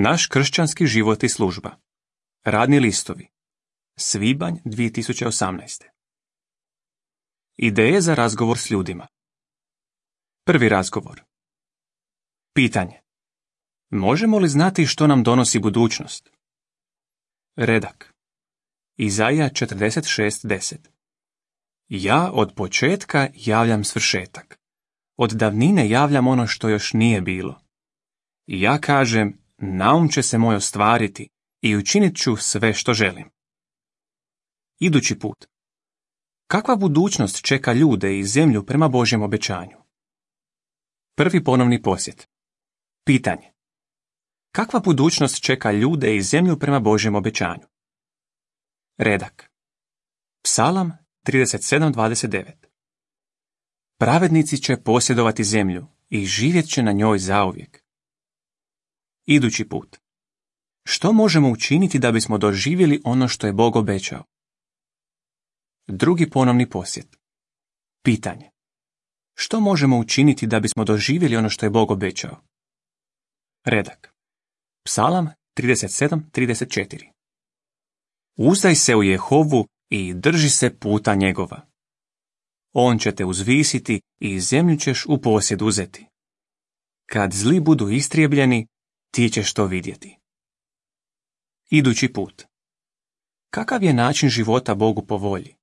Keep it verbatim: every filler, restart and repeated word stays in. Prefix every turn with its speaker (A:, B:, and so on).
A: Naš kršćanski život i služba. Radni listovi. Svibanj dvije tisuće osamnaeste. Ideje za razgovor s ljudima. Prvi razgovor. Pitanje. Možemo li znati što nam donosi budućnost? Redak. Izaija četrdeset šest deset. Ja od početka javljam svršetak. Od davnine javljam ono što još nije bilo. Ja kažem, naum će se moj ostvariti i učinit ću sve što želim. Idući put. Kakva budućnost čeka ljude i zemlju prema Božjem obećanju? Prvi ponovni posjet. Pitanje. Kakva budućnost čeka ljude i zemlju prema Božjem obećanju? Redak. Psalam trideset sedam dvadeset devet. Pravednici će posjedovati zemlju i živjet će na njoj zauvijek. Idući put. Što možemo učiniti da bismo doživjeli ono što je Bog obećao? Drugi ponovni posjet. Pitanje. Što možemo učiniti da bismo doživjeli ono što je Bog obećao? Redak. Psalam trideset sedam trideset četiri. Uzdaj se u Jehovu i drži se puta njegova. On će te uzvisiti i zemlju ćeš u posjed uzeti. Kad zli budu istrijebljeni, ti ćeš to vidjeti. Idući put. Kakav je način života Bogu po volji?